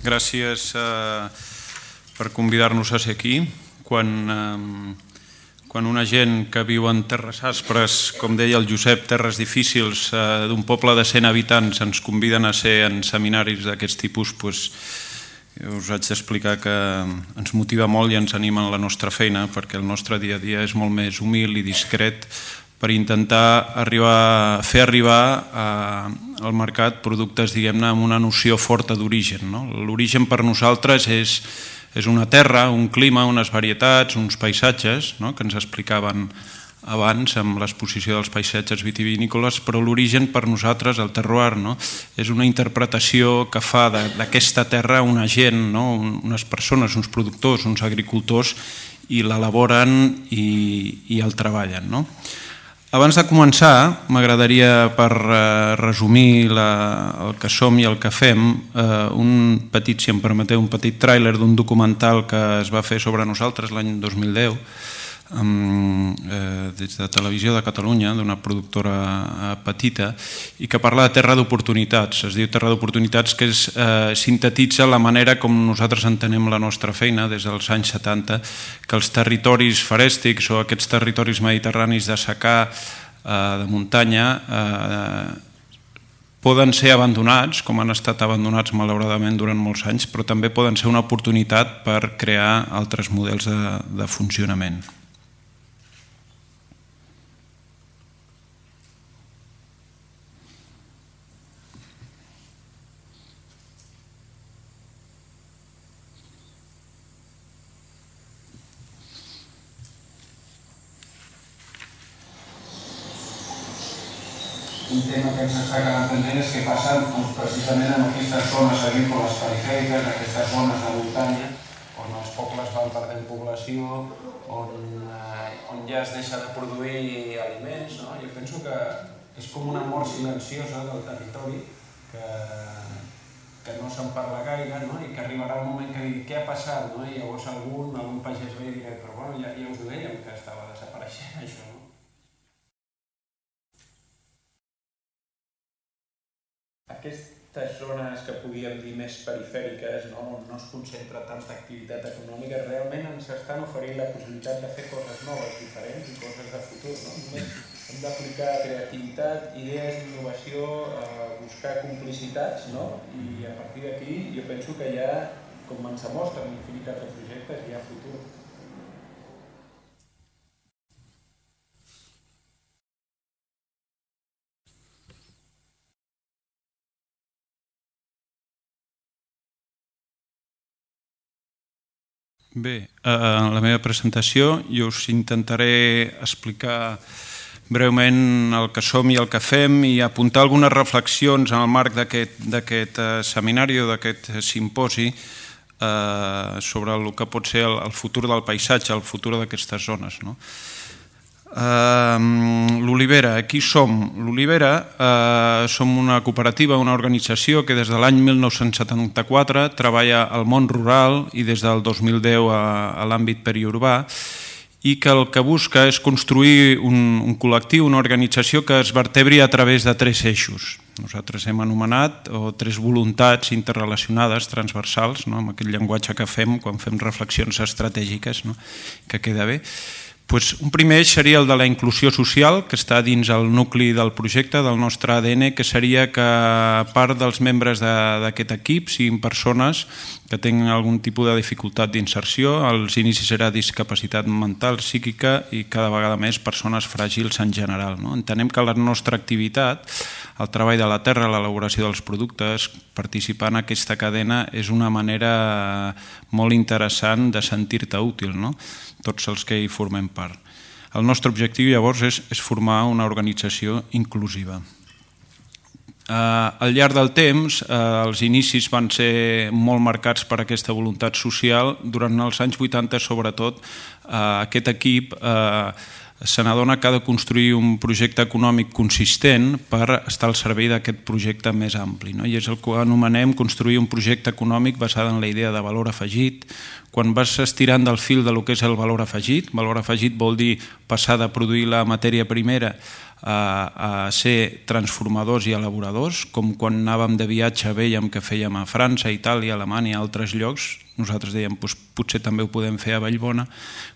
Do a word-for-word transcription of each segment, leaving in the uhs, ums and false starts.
gràcies eh, per convidar-nos a ser aquí. Quan, eh, quan una gent que viu en terres aspres, com deia el Josep, terres difícils, eh, d'un poble de cent habitants, ens conviden a ser en seminaris d'aquests tipus, doncs, us haig d'explicar que ens motiva molt i ens anima en la nostra feina, perquè el nostre dia a dia és molt més humil i discret, per intentar arribar, fer arribar a, al mercat productes, diguem-ne, amb una noció forta d'origen. No? L'origen per nosaltres és, és una terra, un clima, unes varietats, uns paisatges, no? Que ens explicaven abans amb l'exposició dels paisatges vitivinícoles, però l'origen per nosaltres, el terroir, no? És una interpretació que fa d'aquesta terra una gent, no? Unes persones, uns productors, uns agricultors, i l'elaboren i, i el treballen. No? Abans de començar, m'agradaria, per eh, resumir la, el que som i el que fem, eh, un petit, si em permeteu, un petit tràiler d'un documental que es va fer sobre nosaltres l'any dos mil deu, amb, eh, des de Televisió de Catalunya, d'una productora eh, petita, i que parla de terra d'oportunitats. Es diu terra d'oportunitats, que és, eh, sintetitza la manera com nosaltres entenem la nostra feina des dels anys setanta, que els territoris farèstics o aquests territoris mediterranis de secà, eh, de muntanya, eh, poden ser abandonats, com han estat abandonats malauradament durant molts anys, però també poden ser una oportunitat per crear altres models de, de funcionament. Un tema que ens està quedant pendent és què passa precisament en aquestes zones agrícoles perifèriques, en aquestes zones de muntanya, on els pobles van perdent població, on, eh, on ja es deixa de produir aliments. No? Jo penso que és com una mort silenciosa del territori que, que no se'n parla gaire, no? I que arribarà un moment que digui què ha passat, no? I llavors algun, algun pagès ve i dirà però bueno, ja, ja us ho dèiem que estava desapareixent això. No? Aquestes zones que podíem dir més perifèriques, no? On no es concentra tanta activitat econòmica, realment ens estan oferint la possibilitat de fer coses noves, diferents i coses de futur. No? Només hem d'aplicar creativitat, idees, innovació, eh, buscar complicitats, no? I a partir d'aquí jo penso que ja, com ens demostren infinitat de projectes, hi ha futur. Bé, en la meva presentació jo us intentaré explicar breument el que som i el que fem i apuntar algunes reflexions en el marc d'aquest seminari o d'aquest simposi sobre el que pot ser el futur del paisatge, el futur d'aquestes zones. L'Olivera, qui som? L'Olivera som una cooperativa, una organització que des de l'any mil nou-cents setanta-quatre treballa al món rural i des del dos mil deu a l'àmbit periurbà i que el que busca és construir un col·lectiu, una organització que es vertebri a través de tres eixos. Nosaltres hem anomenat o tres voluntats interrelacionades, transversals, amb aquest llenguatge que fem quan fem reflexions estratègiques, que queda bé. Un primer eix seria el de la inclusió social, que està dins el nucli del projecte, del nostre A D N, que seria que part dels membres d'aquest equip siguin persones que tenen algun tipus de dificultat d'inserció. Als inicis era discapacitat mental, psíquica i cada vegada més persones fràgils en general. Entenem que la nostra activitat, el treball de la terra, l'elaboració dels productes, participar en aquesta cadena és una manera molt interessant de sentir-te útil, tots els que hi formem part. El nostre objectiu llavors és formar una organització inclusiva. Al llarg del temps, els inicis van ser molt marcats per aquesta voluntat social. Durant els anys vuitanta, sobretot, aquest equip se n'adona que ha de construir un projecte econòmic consistent per estar al servei d'aquest projecte més ampli. I és el que anomenem construir un projecte econòmic basat en la idea de valor afegit. Quan vas estirant del fil del que és el valor afegit, valor afegit vol dir passar de produir la matèria primera a ser transformadors i elaboradors, com quan anàvem de viatge veiem que fèiem a França, Itàlia, Alemanya i altres llocs. Nosaltres dèiem, potser també ho podem fer a Vallbona.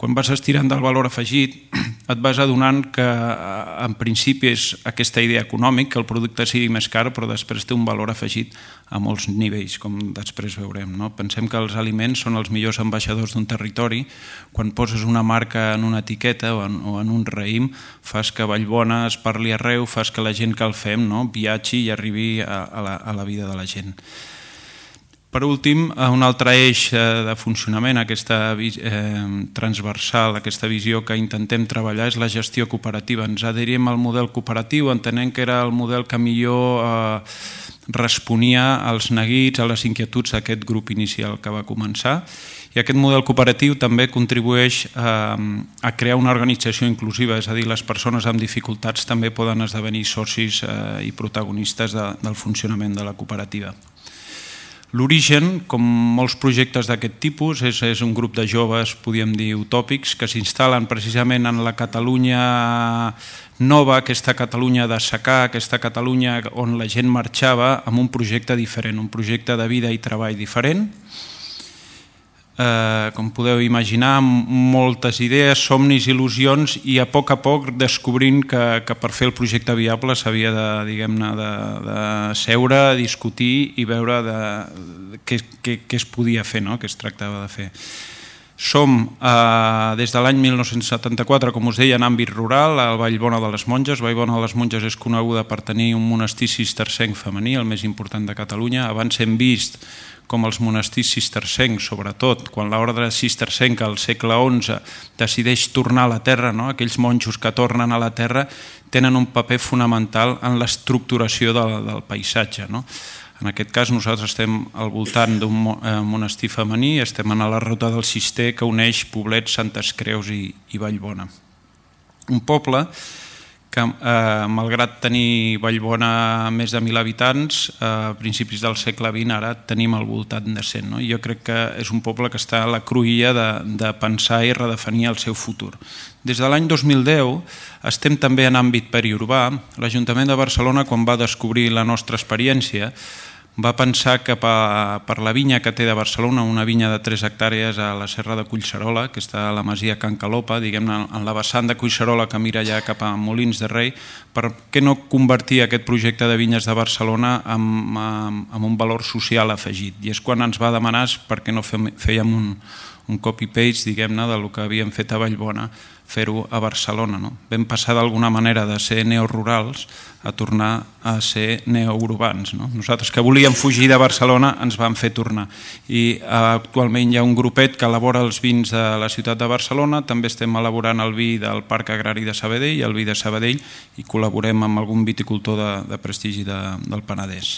Quan vas estirant del valor afegit, et vas adonant que en principi és aquesta idea econòmica, que el producte sigui més car, però després té un valor afegit a molts nivells, com després veurem. Pensem que els aliments són els millors ambaixadors d'un territori. Quan poses una marca en una etiqueta o en un raïm, fas que Vallbona es parli arreu, fas que la gent que el fem viatgi i arribi a la vida de la gent. Per últim, un altre eix de funcionament, aquesta transversal, aquesta visió que intentem treballar és la gestió cooperativa. Ens adherim al model cooperatiu, entenent que era el model que millor responia als neguits, a les inquietuds d'aquest grup inicial que va començar. I aquest model cooperatiu també contribueix a crear una organització inclusiva, és a dir, les persones amb dificultats també poden esdevenir socis i protagonistes del funcionament de la cooperativa. L'origen, com molts projectes d'aquest tipus, és un grup de joves, podríem dir, utòpics, que s'instal·len precisament en la Catalunya nova, aquesta Catalunya de secà, aquesta Catalunya on la gent marxava amb un projecte diferent, un projecte de vida i treball diferent. Com podeu imaginar, moltes idees, somnis, il·lusions, i a poc a poc descobrint que per fer el projecte viable s'havia de, diguem-ne, de seure, discutir i veure què es podia fer, què es tractava de fer. Som, des de l'any mil nou-cents setanta-quatre, com us deia, en àmbit rural, al Vallbona de les Monges. Vallbona de les Monges és coneguda per tenir un monestir cistercenc femení, el més important de Catalunya. Abans hem vist com els monestirs cistercencs, sobretot quan l'ordre cistercenca al segle onze decideix tornar a la terra, aquells monjos que tornen a la terra tenen un paper fonamental en l'estructuració del paisatge. En aquest cas nosaltres estem al voltant d'un monestir femení, estem a la ruta del Cister que uneix Poblet, Santes Creus i Vallbona. Un poble que, malgrat tenir Vallbona més de mil habitants, a principis del segle vint ara tenim al voltant de cent. Jo crec que és un poble que està a la cruïlla de pensar i redefinir el seu futur. Des de l'any dos mil deu estem també en àmbit periurbà. L'Ajuntament de Barcelona, quan va descobrir la nostra experiència, va pensar que per la vinya que té de Barcelona, una vinya de tres hectàrees a la serra de Collserola, que està a la masia Can Calopa, diguem-ne, en la vessant de Collserola que mira ja cap a Molins de Rei, per què no convertir aquest projecte de vinyes de Barcelona en un valor social afegit? I és quan ens va demanar per què no fèiem un copy-paste, diguem-ne, del que havíem fet a Vallbona, fer-ho a Barcelona. Vam passar d'alguna manera de ser neorurals a tornar a ser neourbans. Nosaltres que volíem fugir de Barcelona ens vam fer tornar. I actualment hi ha un grupet que elabora els vins de la ciutat de Barcelona, també estem elaborant el vi del Parc Agrari de Sabadell, el vi de Sabadell, i col·laborem amb algun viticultor de prestigi del Penedès.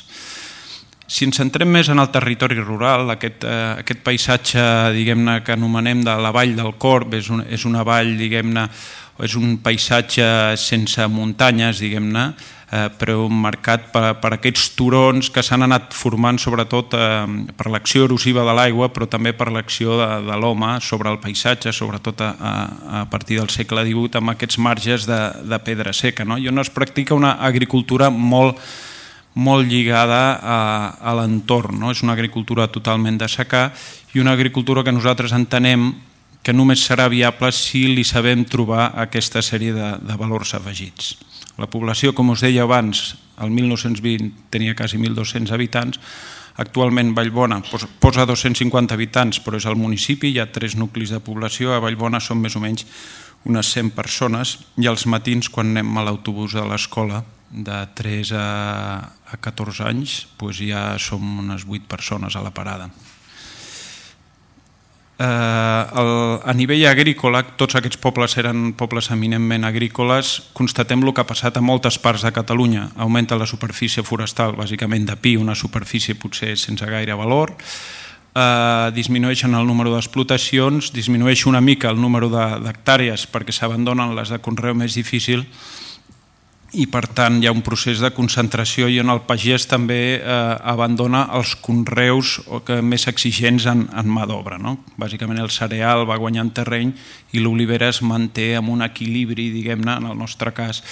Si ens centrem més en el territori rural, aquest paisatge, diguem-ne, que anomenem de la Vall del Corb, és una vall, diguem-ne, és un paisatge sense muntanyes, diguem-ne, però marcat per aquests turons que s'han anat formant sobretot per l'acció erosiva de l'aigua, però també per l'acció de l'home sobre el paisatge, sobretot a partir del segle divuit, amb aquests marges de pedra seca. I on es practica una agricultura molt molt lligada a l'entorn. És una agricultura totalment de secà i una agricultura que nosaltres entenem que només serà viable si li sabem trobar aquesta sèrie de valors afegits. La població, com us deia abans, el mil nou-cents vint tenia quasi mil dos-cents habitants. Actualment Vallbona posa dos-cents cinquanta habitants, però és el municipi, hi ha tres nuclis de població. A Vallbona són més o menys unes cent persones i als matins, quan anem a l'autobús de l'escola, de tres a catorze anys, ja som unes vuit persones a la parada. A nivell agrícola, tots aquests pobles eren pobles eminentment agrícoles. Constatem el que ha passat a moltes parts de Catalunya. Augmenta la superfície forestal, bàsicament de pi, una superfície potser sense gaire valor. Disminueixen el número d'explotacions, disminueix una mica el número d'hectàrees perquè s'abandonen les de conreu més difícil, i per tant hi ha un procés de concentració i on el pagès també eh, abandona els conreus més exigents en, en mà d'obra, no? Bàsicament el cereal va guanyant terreny i l'olivera es manté amb un equilibri, diguem-ne, en el nostre cas,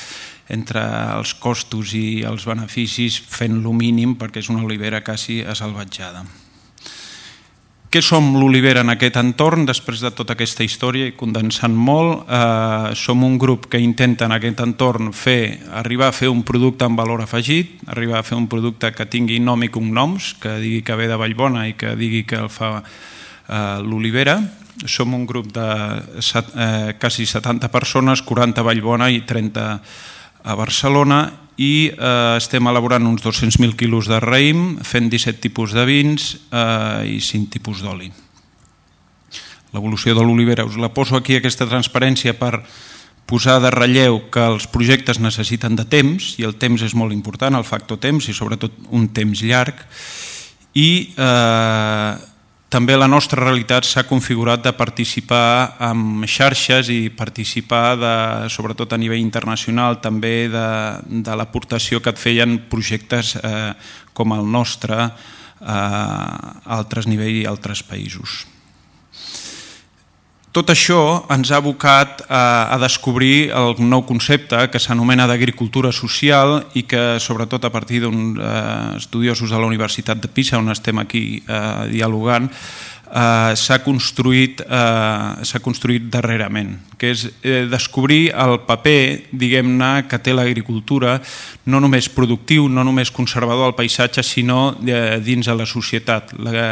entre els costos i els beneficis, fent-lo mínim perquè és una olivera quasi asalvatjada. Què som l'olivera en aquest entorn? Després de tota aquesta història i condensant molt, eh, som un grup que intenta en aquest entorn fer, arribar a fer un producte amb valor afegit, arribar a fer un producte que tingui nom i cognoms, que digui que ve de Vallbona i que digui que el fa eh, l'olivera. Som un grup de eh, quasi setanta persones, quaranta a Vallbona i trenta a Barcelona, i eh, estem elaborant uns dos-cents mil quilos de raïm, fent disset tipus de vins eh, i cinc tipus d'oli. L'evolució de l'olivera, us la poso aquí, aquesta transparència, per posar de relleu que els projectes necessiten de temps, i el temps és molt important, el factor temps, i sobretot un temps llarg, i eh, també la nostra realitat s'ha configurat de participar en xarxes i participar, de, sobretot a nivell internacional, també de, de l'aportació que et feien projectes eh, com el nostre a altres nivells i altres països. Tot això ens ha abocat a, a descobrir el nou concepte que s'anomena d'agricultura social i que, sobretot a partir d'uns eh, estudiosos de la Universitat de Pisa, on estem aquí eh, dialogant, eh, s'ha construït, eh, s'ha construït darrerament, que és eh, descobrir el paper, diguem-ne, que té l'agricultura, no només productiu, no només conservador del paisatge, sinó de, dins de la societat. La,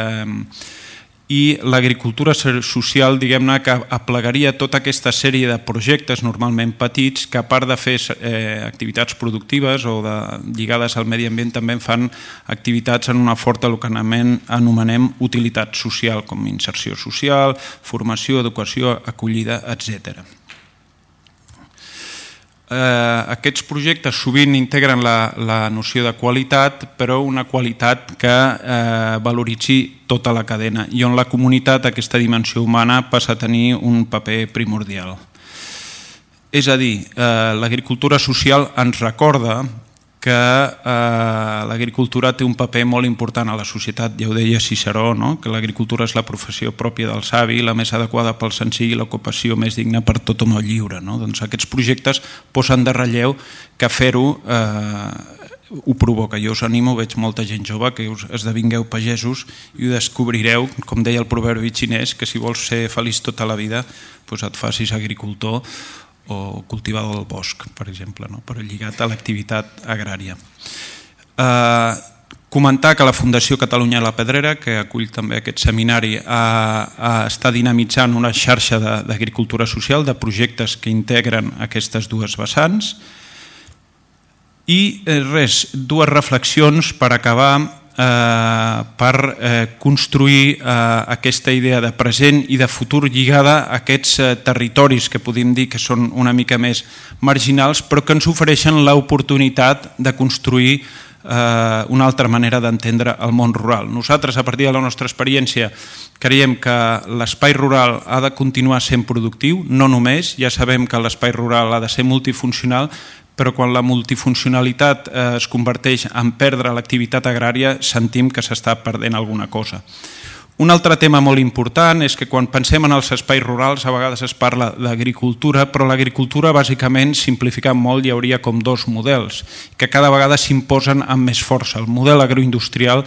i l'agricultura social, diguem-ne, que aplegaria tota aquesta sèrie de projectes normalment petits que, a part de fer eh, activitats productives o de, lligades al medi ambient, també fan activitats en una forta, el que anomenem utilitat social, com inserció social, formació, educació, acollida, etcètera. Eh, aquests projectes sovint integren la, la noció de qualitat, però una qualitat que eh, valoritzi tota la cadena i on la comunitat, aquesta dimensió humana, passa a tenir un paper primordial. És a dir, eh, l'agricultura social ens recorda que eh, l'agricultura té un paper molt important a la societat. Ja ho deia Ciceró, no? Que l'agricultura és la professió pròpia del savi, la més adequada pel senzill i l'ocupació més digna per tot home lliure. No? Doncs aquests projectes posen de relleu que fer-ho eh, ho provoca. Jo us animo, veig molta gent jove, que us esdevingueu pagesos i ho descobrireu, com deia el proverbi xinès, que si vols ser feliç tota la vida, doncs et facis agricultor o cultivador del bosc, per exemple, no? Però lligat a l'activitat agrària. Eh, comentar que la Fundació Catalunya La Pedrera, que acull també aquest seminari, eh, eh, està dinamitzant una xarxa d'agricultura social, de projectes que integren aquestes dues vessants. I eh, res, dues reflexions per acabar, Eh, per eh, construir eh, aquesta idea de present i de futur lligada a aquests eh, territoris que podem dir que són una mica més marginals, però que ens ofereixen l'oportunitat de construir eh, una altra manera d'entendre el món rural. Nosaltres, a partir de la nostra experiència, creiem que l'espai rural ha de continuar sent productiu, no només, ja sabem que l'espai rural ha de ser multifuncional, però quan la multifuncionalitat es converteix en perdre l'activitat agrària, sentim que s'està perdent alguna cosa. Un altre tema molt important és que quan pensem en els espais rurals a vegades es parla d'agricultura, però l'agricultura bàsicament, simplificant molt, hi hauria com dos models que cada vegada s'imposen amb més força, el model agroindustrial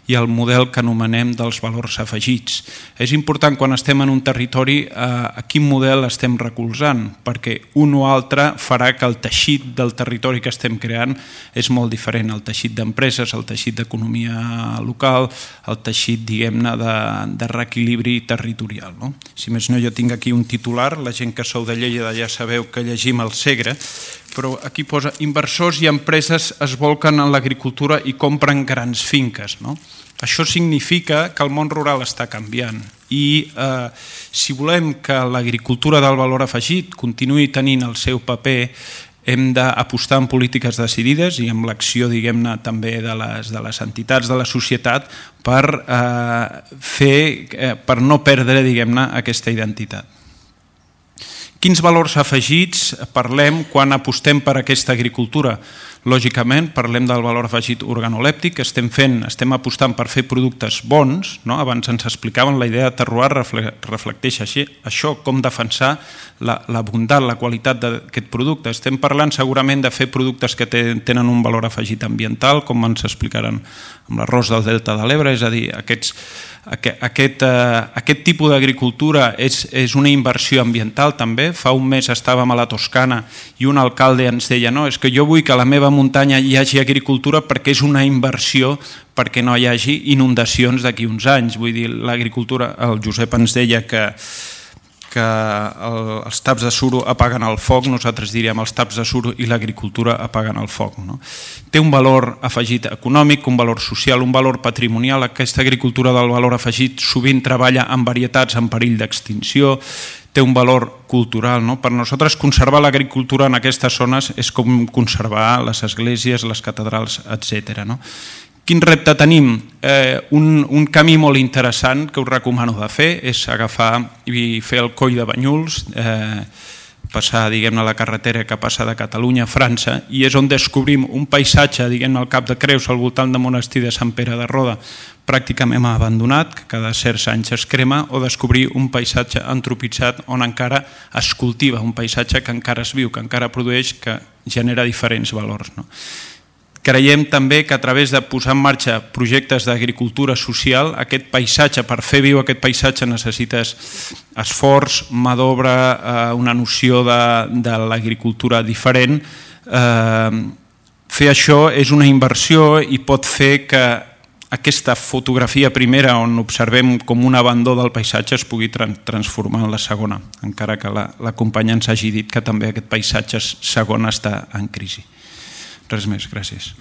i el model que anomenem dels valors afegits. És important quan estem en un territori eh, a quin model estem recolzant, perquè un o altre farà que el teixit del territori que estem creant és molt diferent, el teixit d'empreses, el teixit d'economia local, el teixit, diguem-ne, de, de reequilibri territorial. No? Si més no, jo tinc aquí un titular, la gent que sou de Lleida ja sabeu que llegim el Segre, però aquí posa inversors i empreses es volquen en l'agricultura i compren grans finques. No? Això significa que el món rural està canviant i eh, si volem que l'agricultura del valor afegit continuï tenint el seu paper, hem d'apostar en polítiques decidides i amb l'acció, diguem-ne, també de les, de les entitats de la societat per, eh, fer, eh, per no perdre, diguem-ne, aquesta identitat. Quins valors afegits parlem quan apostem per aquesta agricultura? Lògicament, parlem del valor afegit organolèptic que estem fent, estem apostant per fer productes bons, no? Abans ens explicaven la idea de terroir reflecteix així, això, com defensar la, la bondat, la qualitat d'aquest producte. Estem parlant segurament de fer productes que tenen un valor afegit ambiental, com ens explicaran amb l'arròs del Delta de l'Ebre, és a dir, aquests, aquest, aquest, eh, aquest tipus d'agricultura és, és una inversió ambiental també. Fa un mes estàvem a la Toscana i un alcalde ens deia no, és que jo vull que a la meva muntanya hi hagi agricultura perquè és una inversió perquè no hi hagi inundacions d'aquí uns anys. Vull dir, l'agricultura, el Josep ens deia que que els taps de suro apaguen el foc, nosaltres diríem els taps de suro i l'agricultura apaguen el foc. No? Té un valor afegit econòmic, un valor social, un valor patrimonial. Aquesta agricultura del valor afegit sovint treballa amb varietats en perill d'extinció, té un valor cultural. No? Per nosaltres conservar l'agricultura en aquestes zones és com conservar les esglésies, les catedrals, etcètera. No? Quin repte tenim? Eh, un, un camí molt interessant que us recomano de fer és agafar i fer el coll de Banyuls, eh, passar diguem-ne la carretera que passa de Catalunya a França i és on descobrim un paisatge, diguem-ne al Cap de Creus, al voltant del monestir de Sant Pere de Roda, pràcticament abandonat, que cada certs anys es crema, o descobrir un paisatge antropitzat on encara es cultiva, un paisatge que encara es viu, que encara produeix, que genera diferents valors. No? Creiem també que a través de posar en marxa projectes d'agricultura social, aquest paisatge, per fer viu aquest paisatge necessites esforç, mà d'obra, una noció de, de l'agricultura diferent. Eh, fer això és una inversió i pot fer que aquesta fotografia primera on observem com un abandó del paisatge es pugui transformar en la segona, encara que la, la companya ens hagi dit que també aquest paisatge segon està en crisi. Res més, gràcies.